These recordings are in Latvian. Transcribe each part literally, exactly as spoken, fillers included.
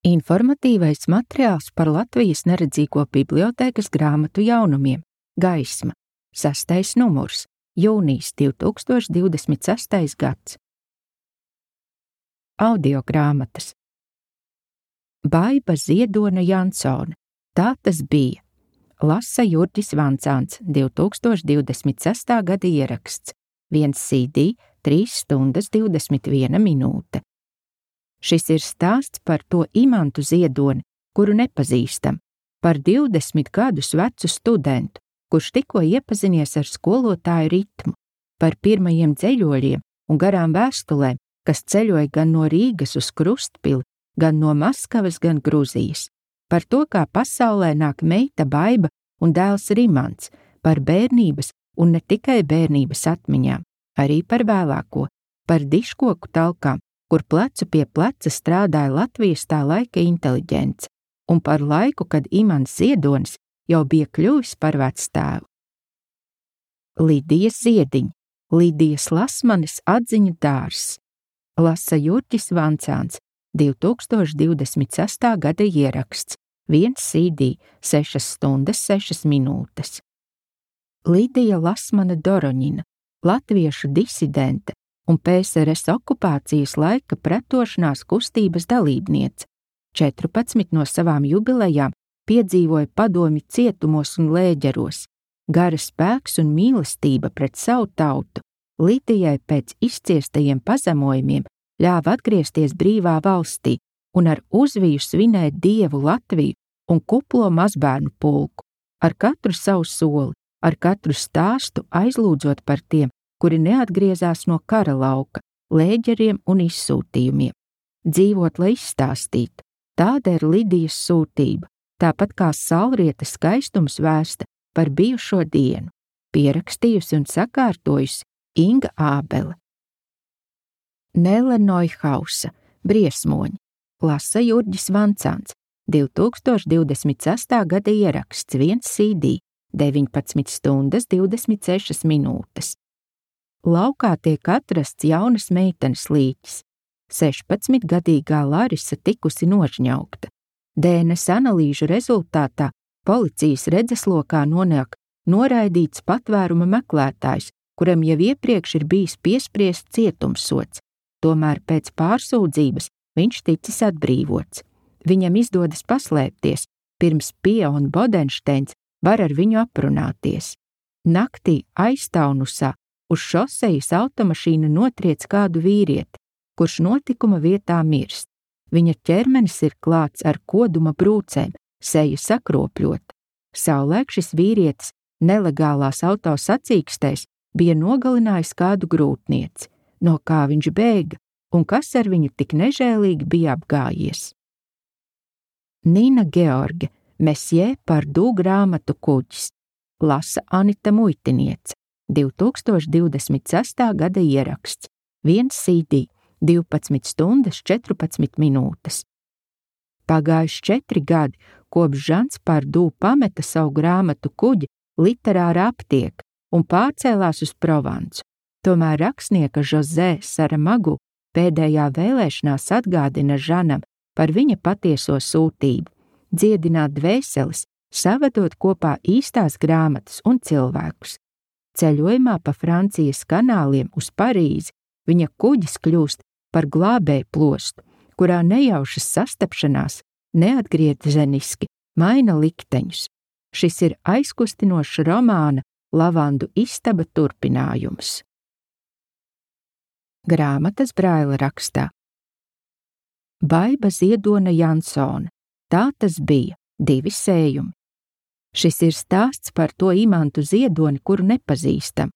Informatīvais materiāls par Latvijas neredzīgo bibliotēkas grāmatu jaunumiem Gaisma, sastais numurs, jūnijas divi tūkstoši divdesmit sestais gads. Audiogrāmatas. Baiba Ziedone Jansone, tā tas bija. Lasa Jurģis Vancāns, divi tūkstoši divdesmit sestā gada ieraksts, viens C D, trīs stundas divdesmit viena minūte. Šis ir stāsts par to Imantu Ziedoni, kuru nepazīstam, par divdesmit gadus vecu studentu, kurš tikko iepazinies ar skolotāju ritmu, par pirmajiem dzeļoļiem un garām vēstulēm, kas ceļoja gan no Rīgas uz Krustpili, gan no Maskavas, gan Gruzijas, par to, kā pasaulē nāk meita Baiba un dēls Rimants, par bērnības un ne tikai bērnības atmiņām, arī par vēlāko, par diškoku talkām, kur plecu pie pleca strādāja Latvijas tā laika inteliģence, un par laiku, kad Imants Ziedonis jau bija kļuvis par vectēvu. Lidijas Ziediņa, Lidijas Lasmanes atziņu dārzs, Lasa Jurģis Vancāns, divi tūkstoši divdesmit sestā gada ieraksts, viens C D, sešas stundas sešas minūtes. Lidija Lasmane Doroņina, latviešu disidente un P S R S okupācijas laika pretošanās kustības dalībniece, četrpadsmit no savām jubilejām piedzīvoja padomju cietumos un lēģeros, gara spēks un mīlestība pret savu tautu Lidijai pēc izciestajiem pazemojumiem ļāva atgriezties brīvā valstī un ar uzviju svinēt Dievu Latviju un kuplo mazbērnu pulku, ar katru savu soli, ar katru stāstu aizlūdzot par tiem, kuri neatgriezās no kara lauka, lēģeriem un izsūtījumiem. Dzīvot, lai izstāstītu, tāda ir Lidijas sūtība, tāpat kā saulrieta skaistums vēsta par bijušo dienu, pierakstījusi un sakārtojusi Inga Ābele. Nele Neuhausa, Briesmoņi, Lasa Jurģis Vancāns, divi tūkstoši divdesmit sestā gada ieraksts, viens C D, deviņpadsmit stundas divdesmit sešas minūtes. Laukā tiek atrasts jaunas meitenes līķis. sešpadsmitgadīgā Larisa tikusi nožņaugta. D N S analīžu rezultātā policijas redzeslokā nonāk noraidīts patvēruma meklētājs, kuram jau iepriekš ir bijis piespriests cietumsods, tomēr pēc pārsūdzības viņš ticis atbrīvots. Viņam izdodas paslēpties, pirms Pija un Bodenšteins var ar viņu aprunāties. Naktī Aiztaunusā uz šosejas automašīna notriec kādu vīrieti, kurš notikuma vietā mirst. Viņa ķermenis ir klāts ar koduma brūcēm, seja sakropļota. Savulaik šis vīrietis nelegālās auto sacīkstēs bija nogalinājis kādu grūtnieci, no kā viņš bēga un kas ar viņu tik nežēlīgi bija apgājies. Nina George, Mesjē Pardū grāmatu kuģis, lasa Anita Muitiniece, divi tūkstoši divdesmit sestā gada ieraksts, viens C D, divpadsmit stundas četrpadsmit minūtes. Pagājuši četri gadi, kopš Žans Pardū pameta savu grāmatu kuģi Literāra aptieka un pārcēlās uz Provansu. Tomēr rakstnieka Žozē Saramagu pēdējā vēlēšanās atgādina Žanam par viņa patieso sūtību, dziedināt dvēseles, savedot kopā īstās grāmatas un cilvēkus. Ceļojumā pa Francijas kanāliem uz Parīzi viņa kuģis kļūst par glābēju plostu, kurā nejaušas sastapšanās neatgriezeniski maina likteņus. Šis ir aizkustinošs romāna Lavandu istaba turpinājums. Grāmatas Braila rakstā. Baiba Ziedone Jansone, tā tas bija, divi sējumi. Šis ir stāsts par to Imantu Ziedoni, kuru nepazīstam,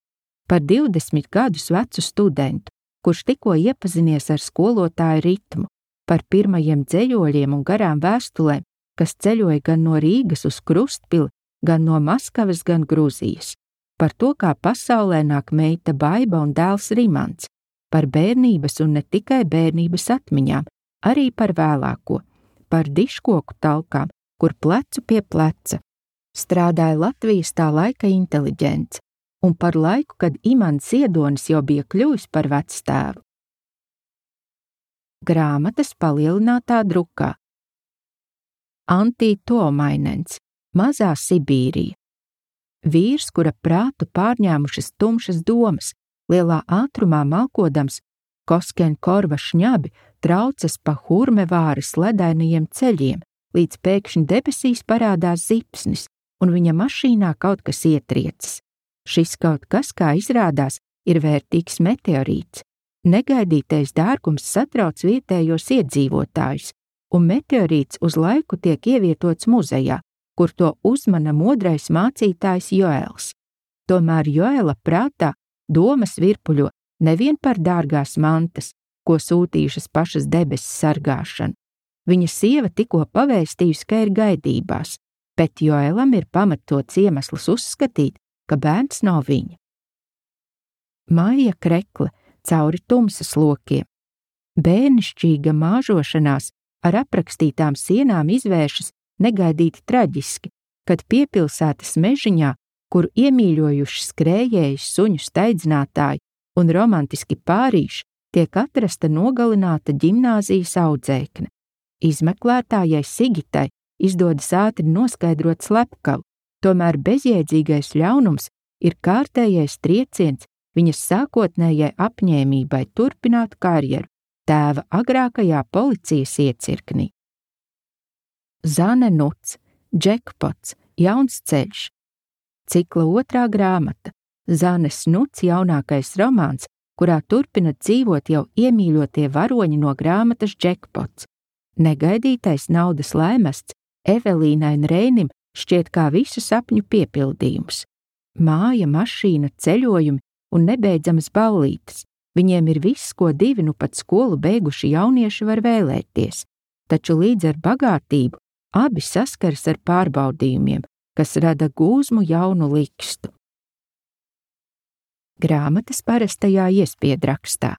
par divdesmit gadus vecu studentu, kurš tikko iepazinies ar skolotāju ritmu, par pirmajiem dzeļoļiem un garām vēstulēm, kas ceļoja gan no Rīgas uz Krustpili, gan no Maskavas, gan Gruzijas, par to, kā pasaulē nāk meita Baiba un dēls Rimants, par bērnības un ne tikai bērnības atmiņām, arī par vēlāko, par diškoku talkām, kur plecu pie pleca strādāja Latvijas tā laika inteliģence, un par laiku, kad Imants Ziedonis jau bija kļuvis par vectēvu. Grāmatas palielinātā drukā, Antī Tuomainens, Mazā Sibīrija. Vīrs, kura prātu pārņēmušas tumšas domas, lielā ātrumā malkodams, Kosken korva šņabi traucas pa Hurmevāras ledainajiem ceļiem, līdz pēkšņi debesīs parādās zipsnis, un viņa mašīnā kaut kas ietriecas. Šis kaut kas, kā izrādās, ir vērtīgs meteorīts. Negaidītais dārgums satrauc vietējos iedzīvotājus, un meteorīts uz laiku tiek ievietots muzejā, kur to uzmana modrais mācītājs Joels. Tomēr Joela prātā domas virpuļo nevien par dārgās mantas, ko sūtījušas pašas debesis sargāšanu. Viņa sieva tikko pavēstījusi, ka ir gaidībās, bet Joelam ir pamatots iemesls uzskatīt, ka bērns nav viņa. Maija krekle cauri tumsas lokiem. Bērnišķīga māžošanās ar aprakstītām sienām izvēršas negaidīti traģiski, kad piepilsētas mežiņā, kur iemīļojuši skrējēji, suņu steidzinātāji un romantiski pārīši, tiek atrasta nogalināta ģimnāzijas audzēkne. Izmeklētājai Sigitai izdodas ātri noskaidrot slepkavu, tomēr bezjēdzīgais ļaunums ir kārtējais trieciens viņas sākotnējai apņēmībai turpināt karjeru tēva agrākajā policijas iecirknī. Zane Nuts, Džekpots, Jauns ceļš. Cikla otrā grāmata. Zanes Nuts jaunākais romāns, kurā turpina dzīvot jau iemīļotie varoņi no grāmatas Džekpots. Negaidītais naudas laimests Evelīnai un Reinim šķiet kā visu sapņu piepildījums. Māja, mašīna, ceļojumi un nebeidzamas ballītes. Viņiem ir viss, ko divi nu pat skolu beiguši jaunieši var vēlēties, taču līdz ar bagātību abi saskaras ar pārbaudījumiem, kas rada gūzmu jaunu likstu. Grāmatas parastajā iespiedrakstā.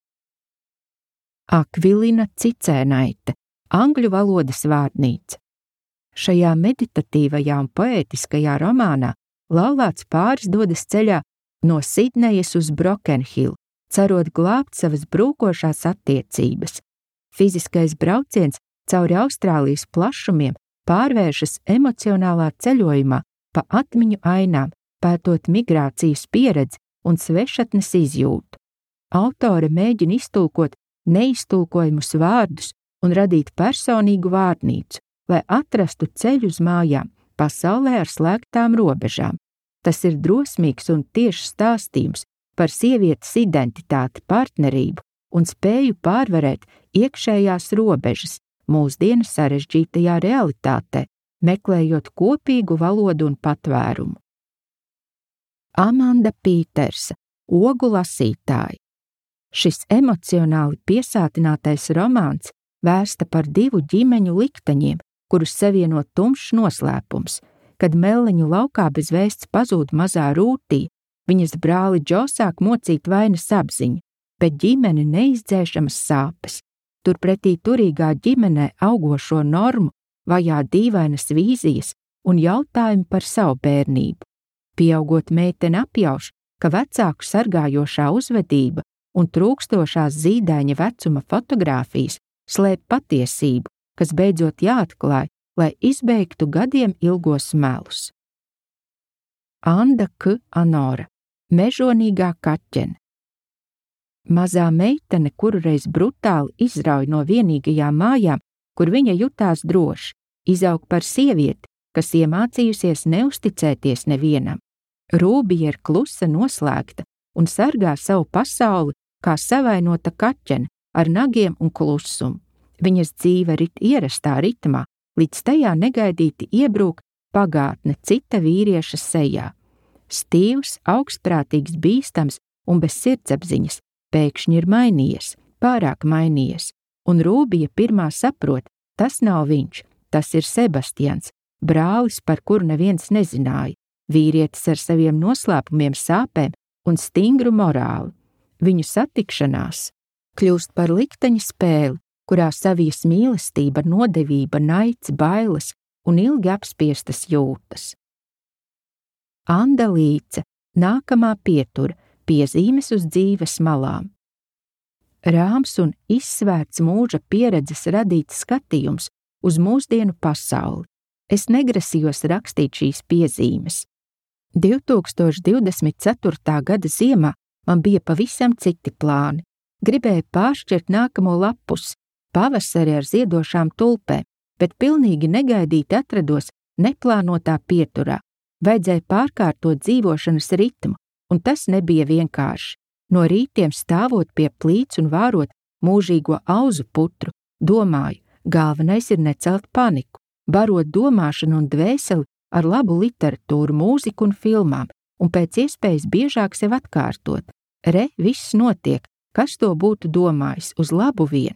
Akvilina Cicēnaite, angļu valodas vārnīca. Šajā meditatīvajā un poētiskajā romānā laulāts pāris dodas ceļā no Sidnejas uz Brokenhill, cerot glābt savas brūkošās attiecības. Fiziskais brauciens cauri Austrālijas plašumiem pārvēršas emocionālā ceļojumā pa atmiņu ainām, pētot migrācijas pieredzi un svešatnes izjūtu. Autore mēģina iztulkot neiztulkojumus vārdus un radīt personīgu vārnīcu, lai atrastu ceļu uz mājām pasaulē ar slēgtām robežām. Tas ir drosmīgs un tiešs stāstījums par sievietes identitāti, partnerību un spēju pārvarēt iekšējās robežas mūsdienu sarežģītajā realitātē, meklējot kopīgu valodu un patvērumu. Amanda Pītersa, Ogu lasītāji. Šis emocionāli piesātinātais romāns vērsta par divu ģimeņu likteņiem, kurus savieno tumšs noslēpums. Kad Melleņu laukā bez vēsts pazūd mazā Rūtī, viņas brāli Džo sāk mocīt vainas apziņu, bet ģimene neizdzēšamas sāpes. Turpretī turīgā ģimenē augošo normu vajā dīvainas vīzijas un jautājumi par savu bērnību. Pieaugot meitene apjauš, ka vecāku sargājošā uzvedība un trūkstošās zīdaiņa vecuma fotogrāfijas slēp patiesību, kas beidzot jāatklāj, lai izbeigtu gadiem ilgos melus. Anda K. Anora, Mežonīgā kaķene. Mazā meitene kurureiz brutāli izrauj no vienīgajām mājām, kur viņa jutās droši, izaug par sievieti, kas iemācījusies neusticēties nevienam. Rūbija ir klusa, noslēgta un sargā savu pasauli kā savainota kaķene ar nagiem un klusumu. Viņas dzīve rit ierastā ritmā, līdz tajā negaidīti iebrūk pagātne cita vīrieša sejā. Stīvs, augstprātīgs, bīstams un bez sirdsapziņas pēkšņi ir mainījies, pārāk mainījies, un Rūbija pirmā saprot, tas nav viņš, tas ir Sebastians, brālis, par kuru neviens nezināja. Vīrietis ar saviem noslēpumiem, sāpēm un stingru morāli. Viņu satikšanās kļūst par likteņa spēli, kurā savijas mīlestība, nodevība, naids, bailes un ilgi apspiestas jūtas. Anda Līce, Nākamā pietura, piezīmes uz dzīves malām. Rāms un izsvērts mūža pieredzes radīts skatījums uz mūsdienu pasauli, Es negrasījos rakstīt šīs piezīmes. divtūkstoš divdesmit ceturtā gada ziemā man bija pavisam citi plāni. Gribēju pāršķirt nākamo lapus, pavasari ar ziedošām tulpēm, bet pilnīgi negaidīti atrados neplānotā pieturā. Vajadzēja pārkārtot dzīvošanas ritmu, un tas nebija vienkārši. No rītiem stāvot pie plīts un vārot mūžīgo auzu putru, domāju, galvenais ir necelt paniku, barot domāšanu un dvēseli ar labu literatūru, mūziku un filmām, un pēc iespējas biežāk sev atkārtot. Re, viss notiek, kas to būtu domājis, uz labu vien.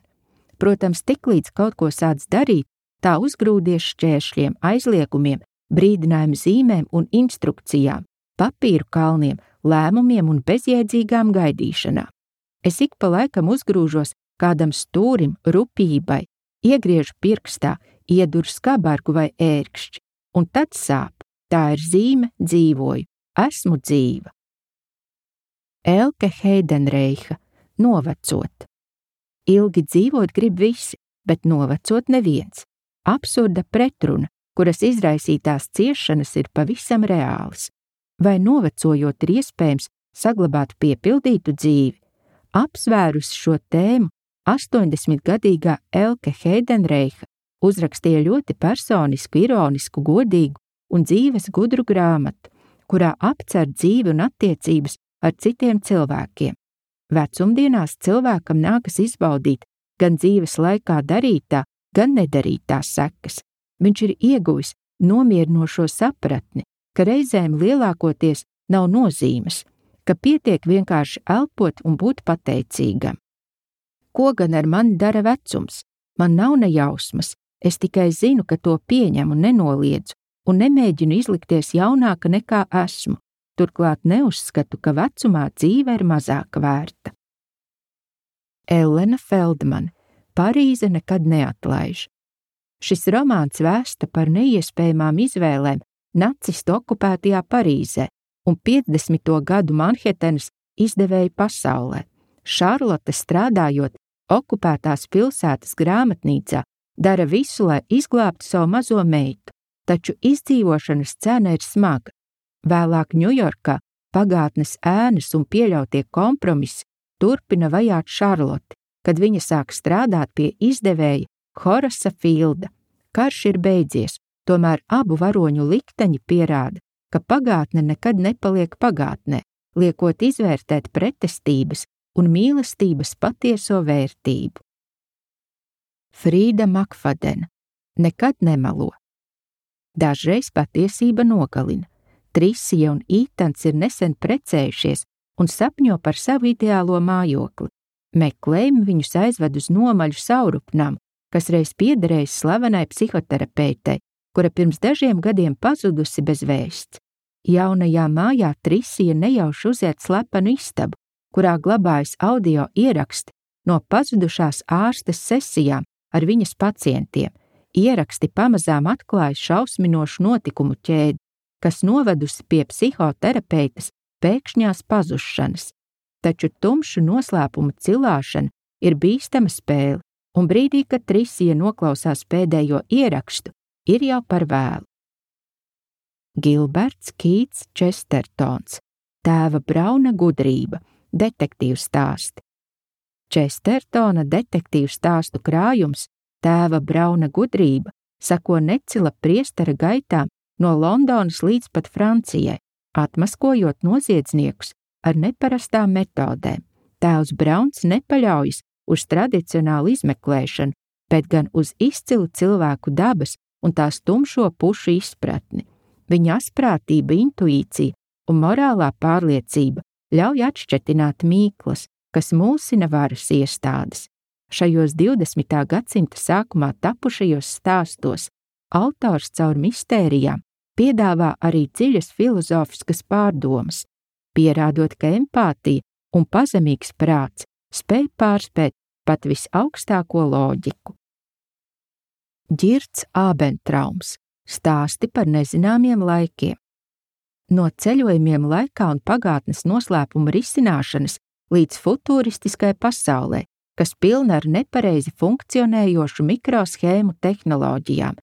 Protams, tiklīdz kaut ko sāc darīt, tā uzgrūdies šķēršļiem, aizliegumiem, brīdinājumu zīmēm un instrukcijām, papīru kalniem, lēmumiem un bezjēdzīgām gaidīšanām. Es ik pa laikam uzgrūžos kādam stūrim, rupībai, iegriežu pirkstā, ieduru skabargu vai ērkšķi, un tad sāp. Tā ir zīme, dzīvoju, esmu dzīva. Elke Heidenreicha, novecot. Ilgi dzīvot grib visi, bet novecot neviens. Absurda pretruna, kuras izraisītās ciešanas ir pavisam reālas. Vai novecojot ir iespējams saglabāt piepildītu dzīvi? Apsvērus šo tēmu, astoņdesmitgadīgā Elke Heidenreicha uzrakstīja ļoti personisku, ironisku, godīgu un dzīves gudru grāmatu, kurā apcer dzīvi un attiecības ar citiem cilvēkiem. Vecumdienās cilvēkam nākas izbaudīt gan dzīves laikā darītā, gan nedarītā sekas. Viņš ir ieguvis nomierinošo sapratni, ka reizēm lielākoties nav nozīmes, ka pietiek vienkārši elpot un būt pateicīgam. Ko gan ar mani dara vecums? Man nav ne jausmas, es tikai zinu, ka to pieņemu un nenoliedzu, un nemēģinu izlikties jaunāka nekā esmu. Turklāt neuzskatu, ka vecumā dzīve ir mazāka vērta. Ellena Feldmane, Parīze nekad neatlaiž. Šis romāns vēsta par neiespējamām izvēlēm nacistu okupētajā Parīzē un piecdesmito gadu Manhetenas izdevēju pasaulē. Šarlote, strādājot okupētās pilsētas grāmatnīcā, dara visu, lai izglābtu savu mazo meitu, taču izdzīvošanas cena ir smaga. Vēlāk Ņujorkā pagātnes ēnas un pieļautie kompromisi turpina vajāt Šarloti, kad viņa sāk strādāt pie izdevēja Horasa Filda. Karš ir beidzies, tomēr abu varoņu likteņi pierāda, ka pagātne nekad nepaliek pagātnē, liekot izvērtēt pretestības un mīlestības patieso vērtību. Frīda Makfadena, nekad nemelo. Dažreiz patiesība nogalina. Trisija un Ītans ir nesen precējušies un sapņo par savu ideālo mājokli. Meklējumi viņus aizved uz nomaļu saurupnām, kas reiz piederējis slavenai psihoterapeitei, kura pirms dažiem gadiem pazudusi bez vēsts. Jaunajā mājā Trisija nejauši uziet slepenu istabu, kurā glabājas audio ieraksti no pazudušās ārstes sesijām ar viņas pacientiem. Ieraksti pamazām atklāja šausminošu notikumu ķēdi, kas novedusi pie psihoterapeitas pēkšņās pazušanas. Taču tumšu noslēpumu cilāšana ir bīstama spēle, un brīdī, kad Trisija noklausās pēdējo ierakstu, ir jau par vēlu. Gilberts Kīts Čestertons, Tēva Brauna gudrība, detektīvu stāsti. Čestertona detektīvu stāstu krājums Tēva Brauna gudrība sako necila priestera gaitām no Londonas līdz pat Francijai, atmaskojot noziedzniekus ar neparastām metodēm. Tēvs Brauns nepaļaujas uz tradicionālu izmeklēšanu, bet gan uz izcilu cilvēku dabas un tās tumšo pušu izpratni. Viņa asprātība, intuīcija un morālā pārliecība ļauj atšķetināt mīklas, kas mulsina varas iestādes. Šajos divdesmitā gadsimta sākumā tapušajos stāstos autors caur mistērijām piedāvā arī dziļas filozofiskas pārdomas, pierādot, ka empātija un pazemīgs prāts spēj pārspēt pat visaugstāko loģiku. Ģirds Ābentraums, stāsti par nezināmiem laikiem. No ceļojumiem laikā un pagātnes noslēpuma risināšanas līdz futuristiskai pasaulē, kas pilna ar nepareizi funkcionējošu mikroshēmu tehnoloģijām.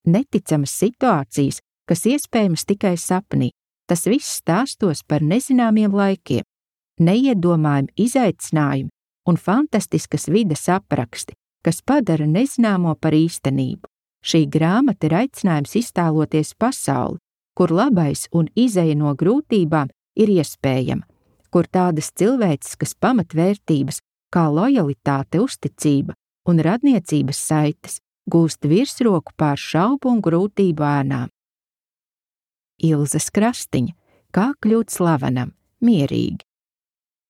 neticamas situācijas, kas iespējamas tikai sapnī. Tas viss stāstos par nezināmiem laikiem, neiedomājami izaicinājumi un fantastiskas vides apraksti, kas padara nezināmo par īstenību. Šī grāmata ir aicinājums iztēloties pasauli, kur labais un izeja no grūtībām ir iespējama, kur tādas cilvēciskas pamatvērtības kā lojalitāte, uzticība un radniecības saites gūst virsroku pār šaubu un grūtību ēnām. Ilzes Krastiņa, kā kļūt slavenam, mierīgi.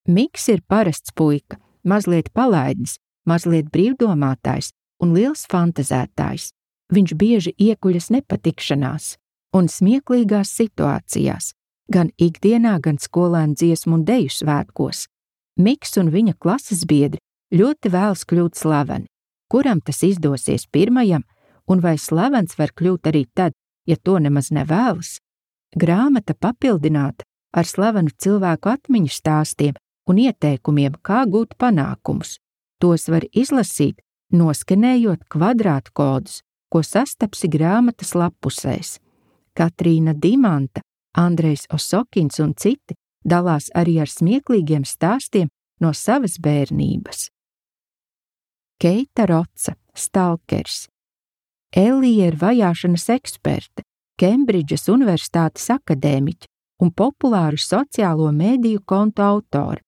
Miks ir parasts puika, mazliet palaidnis, mazliet brīvdomātājs un liels fantazētājs. Viņš bieži iekuļas nepatikšanās un smieklīgās situācijās, gan ikdienā, gan skolēnu dziesmu un deju svētkos. Miks un viņa klases biedri ļoti vēlas kļūt slaveni. Kuram tas izdosies pirmajam, un vai slavens var kļūt arī tad, ja to nemaz nevēlas? Grāmata papildināta ar slavenu cilvēku atmiņu stāstiem un ieteikumiem, kā gūt panākumus. Tos var izlasīt, noskenējot kvadrātu kodus, ko sastapsi grāmatas lappusēs. Katrīna Dimanta, Andrejs Osokins un citi dalās arī ar smieklīgiem stāstiem no savas bērnības. Keita Roca, stalkers. Elija ir vajāšanas eksperte, Kembridžas universitātes akadēmiķe un populāru sociālo mēdīju kontu autore.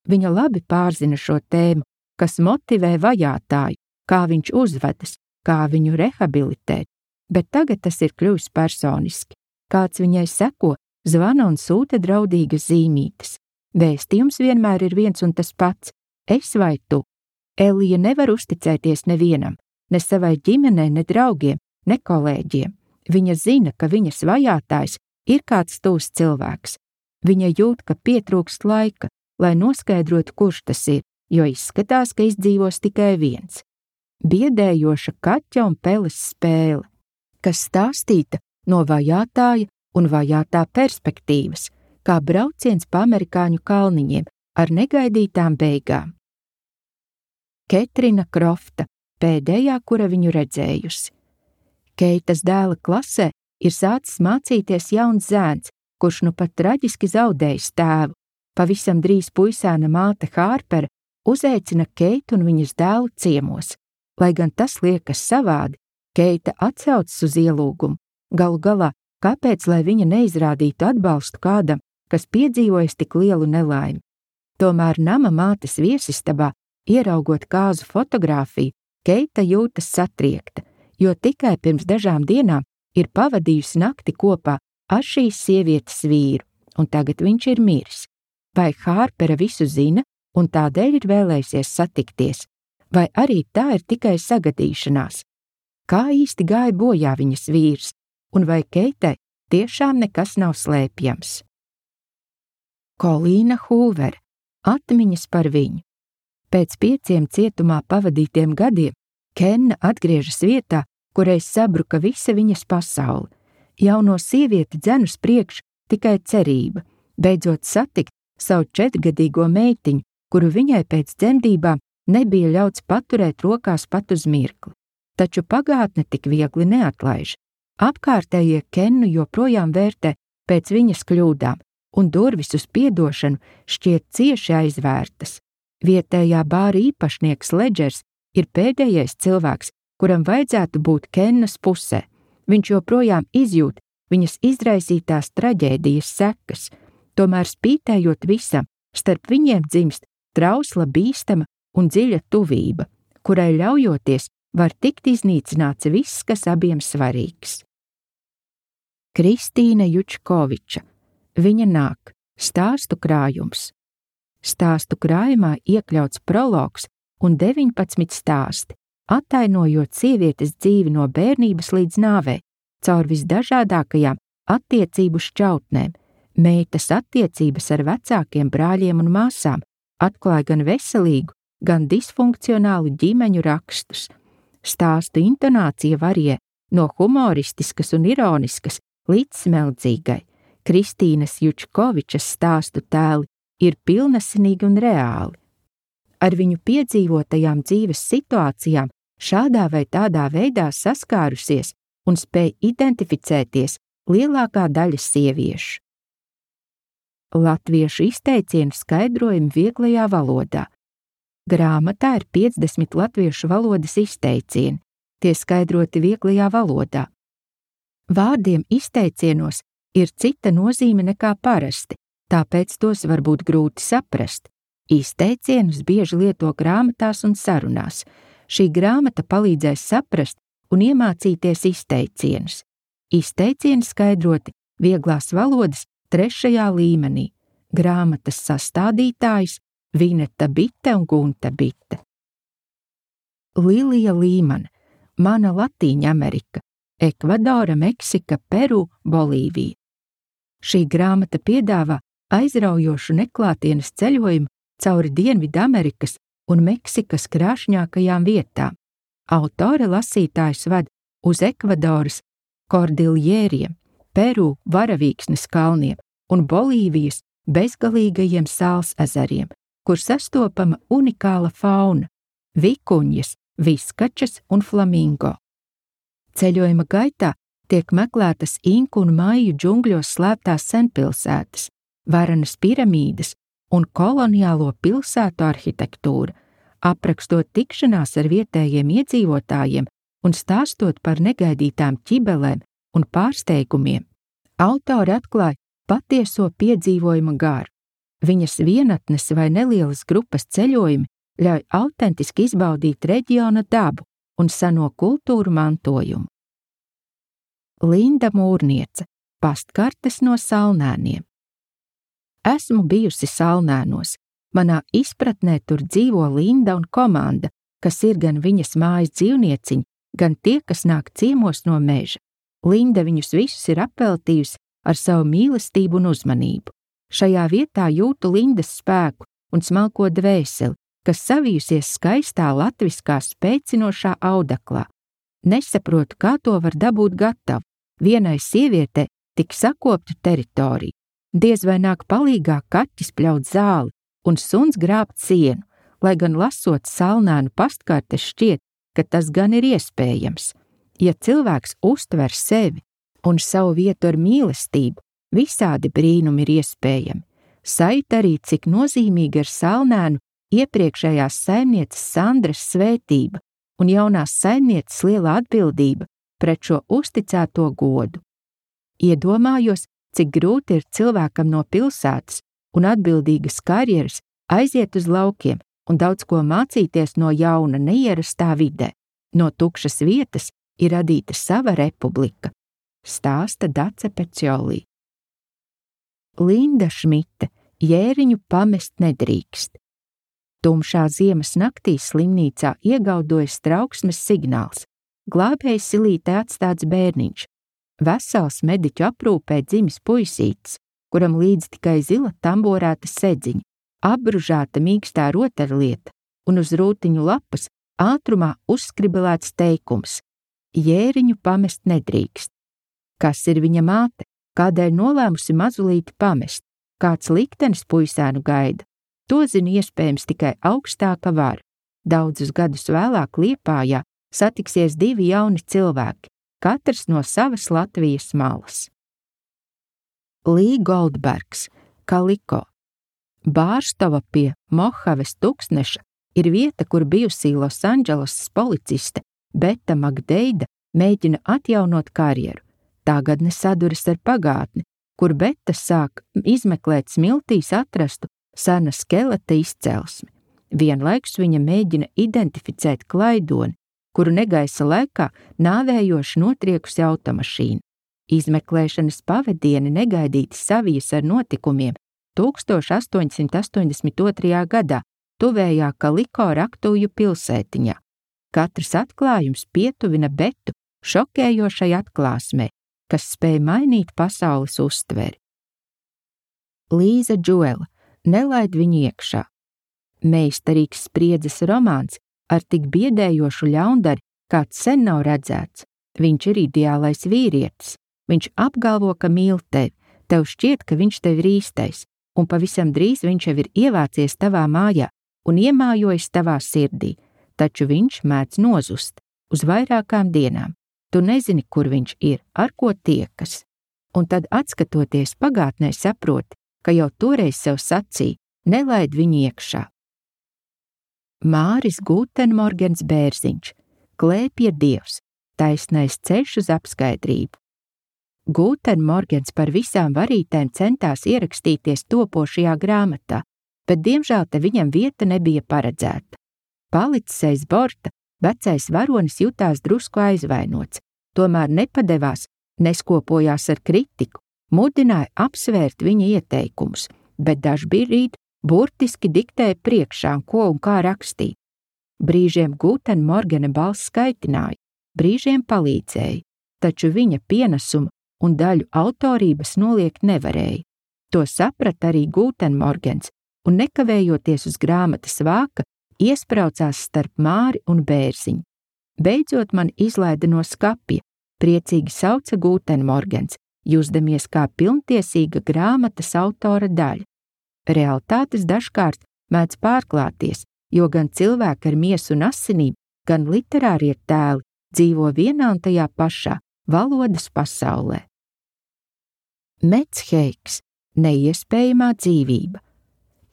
Viņa labi pārzina šo tēmu, kas motivē vajātāju, kā viņš uzvedas, kā viņu rehabilitēt, bet tagad tas ir kļuvis personiski. Kāds viņai seko, zvana un sūta draudīgas zīmītes. Vēstījums vienmēr ir viens un tas pats – es vai tu. Elija nevar uzticēties nevienam, ne savai ģimenei, ne draugiem, ne kolēģiem. Viņa zina, ka viņas vajātājs ir kāds tūs cilvēks. Viņa jūt, ka pietrūkst laika, lai noskaidrotu, kurš tas ir, jo izskatās, ka izdzīvos tikai viens. Biedējoša kaķa un peles spēle, kas stāstīta no vajātāja un vajātā perspektīvas, kā brauciens pa amerikāņu kalniņiem ar negaidītām beigām. Ketrina Krofta, pēdējā, kura viņu redzējusi. Keitas dēla klasē ir sācis mācīties jauns zēns, kurš nu pat traģiski zaudējis tēvu. Pavisam drīz puisēna māte Hārpera uzaicina Keitu un viņas dēlu ciemos. Lai gan tas liekas savādi, Keita atsaucas uz ielūgumu. Galu galā, kāpēc, lai viņa neizrādītu atbalstu kādam, kas piedzīvojis tik lielu nelaimi? Tomēr nama mātes viesistabā, ieraugot kāzu fotogrāfiju, Keita jūtas satriekta, jo tikai pirms dažām dienām ir pavadījusi nakti kopā ar šīs sievietes vīru, un tagad viņš ir miris. Vai Hārpera visu zina un tādēļ ir vēlējusies satikties, vai arī tā ir tikai sagadīšanās? Kā īsti gāja bojā viņas vīrs, un vai Keitai tiešām nekas nav slēpjams? Kolīna Hūvera, atmiņas par viņu. Pēc pieciem cietumā pavadītiem gadiem Kenna atgriežas vietā, kureiz sabruka visa viņas pasaule. Jauno sievieti dzen uz priekšu tikai cerība, beidzot satikt savu četrgadīgo meitiņu, kuru viņai pēc dzemdībām nebija ļauts paturēt rokās pat uz mirkli. Taču pagātne tik viegli neatlaiž. Apkārtējie Kennu joprojām vērtē pēc viņas kļūdām, un durvis uz piedošanu šķiet cieši aizvērtas. Vietējā bāra īpašnieks Ledžers ir pēdējais cilvēks, kuram vajadzētu būt Kennas pusē. Viņš joprojām izjūt viņas izraisītās traģēdijas sekas, tomēr spītējot visam, starp viņiem dzimst trausla, bīstama un dziļa tuvība, kurai ļaujoties var tikt iznīcināts viss, kas abiem svarīgs. Kristīna Jučkoviča, viņa nāk, stāstu krājums. Stāstu krājumā iekļauts prologs un deviņpadsmit stāsti, attainojot sievietes dzīvi no bērnības līdz nāvei, caur visdažādākajām attiecību šķautnēm. Meitas attiecības ar vecākiem brāļiem un māsām atklāja gan veselīgu, gan disfunkcionālu ģimeņu rakstus. Stāstu intonācija varie no humoristiskas un ironiskas līdz smeldzīgai. Kristīnas Jučkovičas stāstu tēli ir pilnasinīgi un reāli. Ar viņu piedzīvotajām dzīves situācijām šādā vai tādā veidā saskārusies un spēj identificēties lielākā daļa sieviešu. Latviešu izteicienu skaidrojumi vieglajā valodā. Grāmatā ir piecdesmit latviešu valodas izteicieni, tie skaidroti vieglajā valodā. Vārdiem izteicienos ir cita nozīme nekā parasti, tāpēc tos var būt grūti saprast. Izteicienus bieži lieto grāmatās un sarunās. Šī grāmata palīdzēs saprast un iemācīties izteicienus. Izteicieni skaidroti vieglās valodas trešajā līmenī. Grāmatas sastādītājs Vineta Bite un Gunta Bite. Lilija Līmane, Mana Latīņa Amerika, Ekvadora, Meksika, Peru, Bolīvija. Šī grāmata piedāvā aizraujošu neklātienes ceļojumu cauri Dienvidamerikas un Meksikas krāšņākajām vietām. Autore lasītājus ved uz Ekvadoras Kordiljēriem, Peru varavīksnes kalniem un Bolīvijas bezgalīgajiem sāls ezeriem, kur sastopama unikāla fauna – vikuņas, viskačas un flamingo. Ceļojuma gaitā tiek meklētas inku un maiju džungļos slēptās senpilsētas, varenas piramīdas un koloniālo pilsētu arhitektūra, aprakstot tikšanās ar vietējiem iedzīvotājiem un stāstot par negaidītām ķibelēm un pārsteigumiem. Autori atklāja patieso piedzīvojuma garu. Viņas vienatnes vai nelielas grupas ceļojumi ļauj autentiski izbaudīt reģiona dabu un seno kultūru mantojumu. Linda Mūrniece, Pastkartes no Salnēniem. Esmu bijusi Salnēnos. Manā izpratnē tur dzīvo Linda un komanda, kas ir gan viņas mājas dzīvnieciņi, gan tie, kas nāk ciemos no meža. Linda viņus visus ir apveltījusi ar savu mīlestību un uzmanību. Šajā vietā jūtu Lindas spēku un smalko dvēseli, kas savijusies skaistā latviskā spēcinošā audeklā. Nesaprotu, kā to var dabūt gatavu. Vienai sievietei tik sakoptu teritoriju. Diez vai nāk palīgā kaķis pļaut zāli un suns grābt sienu, lai gan lasot Salnēnu pastkartes šķiet, ka tas gan ir iespējams. Ja cilvēks uztver sevi un savu vietu ar mīlestību, visādi brīnumi ir iespējami. Sajūt arī, cik nozīmīga ir Salnēnu iepriekšējās saimnieces Sandras svētība un jaunās saimnieces lielā atbildība pret šo uzticēto godu. Iedomājos, cik grūti ir cilvēkam no pilsētas un atbildīgas karjeras aiziet uz laukiem un daudz ko mācīties no jauna neierastā vidē. No tukšas vietas ir radīta sava republika, stāsta Dace Peciolī. Linda Šmite, Jēriņu pamest nedrīkst. Tumšā ziemas naktī slimnīcā iegaudojas trauksmes signāls. Glābēja silītē atstāts bērniņš. Vesels mediķu aprūpē dzimis puisītis, kuram līdz tikai zila tamborēta sedziņa, apbružāta mīkstā rotaļlieta un uz rūtiņu lapas ātrumā uzskribelēts teikums: Jēriņu pamest nedrīkst. Kas ir viņa māte? Kādēļ nolēmusi mazulīti pamest? Kāds liktenis puisēnu gaida? To zina iespējams tikai augstāka vara. Daudzus gadus vēlāk Liepājā satiksies divi jauni cilvēki, katrs no savas Latvijas malas. Lī Goldbergs, Kaliko. Bārstova pie Mohaves tūkstneša ir vieta, kur bijusī Losandželosas policiste Beta Magdeida mēģina atjaunot karjeru. Tagadne saduras ar pagātni, kur Beta sāk izmeklēt smiltīs atrastu sena skeleta izcelsmi. Vienlaikus viņa mēģina identificēt klaidoni, kuru negaisa laikā nāvējoši notriekusi automašīna. Izmeklēšanas pavadieni negaidīti savijas ar notikumiem tūkstoš astoņsimt astoņdesmit otrajā gadā tuvējā Kaliko Raktūju pilsētiņā. Katrs atklājums pietuvina Betu šokējošai atklāsmei, kas spēj mainīt pasaules uztveri. Līza Džuela, Nelaid viņu iekšā. Meistarīgs spriedzes romāns ar tik biedējošu ļaundari, kāds sen nav redzēts. Viņš ir ideālais vīrietis. Viņš apgalvo, ka mīl tevi, tev šķiet, ka viņš tev ir īstais, un pavisam drīz viņš jau ir ievācies tavā mājā un iemājojis tavā sirdī, taču viņš mēdz nozust uz vairākām dienām. Tu nezini, kur viņš ir, ar ko tiekas. Un tad, atskatoties pagātnē, saproti, ka jau toreiz sev sacīja, nelaid viņu iekšā. Māris Gūtenmorgens Bērziņš, Klēpja dievs, taisnais ceļš uz apskaidrību. Gūtenmorgens par visām varītēm centās ierakstīties topošajā grāmatā, bet diemžēl te viņam vieta nebija paredzēta. Palicis aiz borta, vecais varonis jutās drusku aizvainots, tomēr nepadevās, neskopojās ar kritiku, mudināja apsvērt viņa ieteikumus, bet dažbrīd burtiski diktēja priekšā, ko un kā rakstīt. Brīžiem Gūtenmorgena balss skaitināja, brīžiem palīdzēja, taču viņa pienesumu un daļu autorības noliegt nevarēja. To saprata arī Gūtenmorgens un nekavējoties uz grāmatas vāka, iespraucās starp Māri un Bērziņu. Beidzot man izlaida no skapja, priecīgi sauca Gūtenmorgens, jusdamies kā pilntiesīga grāmatas autora daļa. Realitātes dažkārt mēdz pārklāties, jo gan cilvēki ar miesu un asinīm, gan literārie tēli dzīvo vienā un tajā pašā valodas pasaulē. Mets Heiks, neiespējamā dzīvība.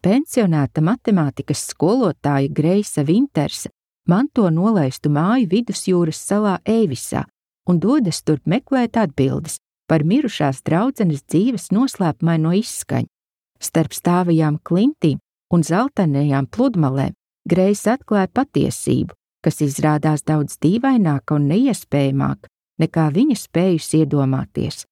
Pensionēta matemātikas skolotāja Greisa Vintersa manto nolaistu māju vidusjūras salā Eivisā un dodas turp meklēt atbildes par mirušās draudzenes dzīves noslēpumaino izskaņu. Starp stāvajām klintīm un zeltainajām pludmalēm Greisa atklāja patiesību, kas izrādās daudz dīvaināka un neiespējamāka, nekā viņa spējusi iedomāties.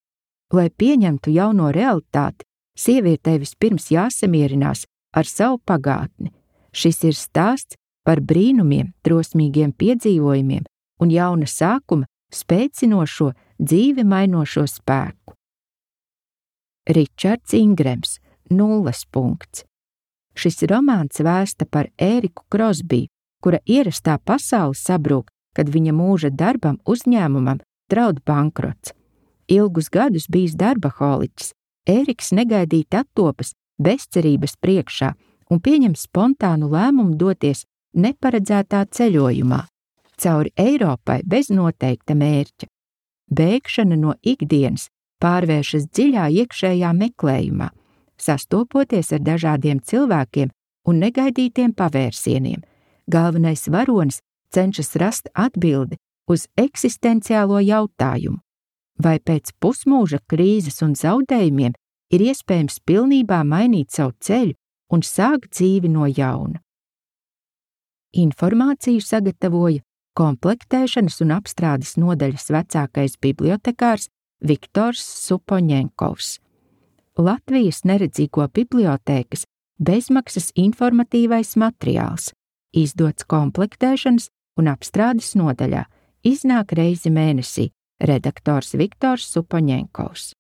Lai pieņemtu jauno realitāti, sievietei vispirms jāsamierinās ar savu pagātni. Šis ir stāsts par brīnumiem, drosmīgiem piedzīvojumiem un jauna sākuma spēcinošo, dzīvi mainošo spēku. Ričards Ingrems, Nulles punkts. Šis romāns vēsta par Ēriku Krosbiju, kura ierastā pasaule sabrūk, kad viņa mūža darbam uzņēmumam draud bankrots. Ilgus gadus bijis darbaholiķis, Ēriks negaidīti attopas bezcerības priekšā un pieņem spontānu lēmumu doties neparedzētā ceļojumā, cauri Eiropai bez noteikta mērķa. Bēgšana no ikdienas pārvēršas dziļā iekšējā meklējumā, sastopoties ar dažādiem cilvēkiem un negaidītiem pavērsieniem. Galvenais varonis cenšas rast atbildi uz eksistenciālo jautājumu, vai pēc pusmūža krīzes un zaudējumiem ir iespējams pilnībā mainīt savu ceļu un sākt dzīvi no jauna. Informāciju sagatavoja komplektēšanas un apstrādes nodaļas vecākais bibliotekārs Viktors Supoņenkovs. Latvijas neredzīgo bibliotēkas bezmaksas informatīvais materiāls, izdots komplektēšanas un apstrādes nodaļā, iznāk reizi mēnesī, redaktors Viktors Supoņenkovs.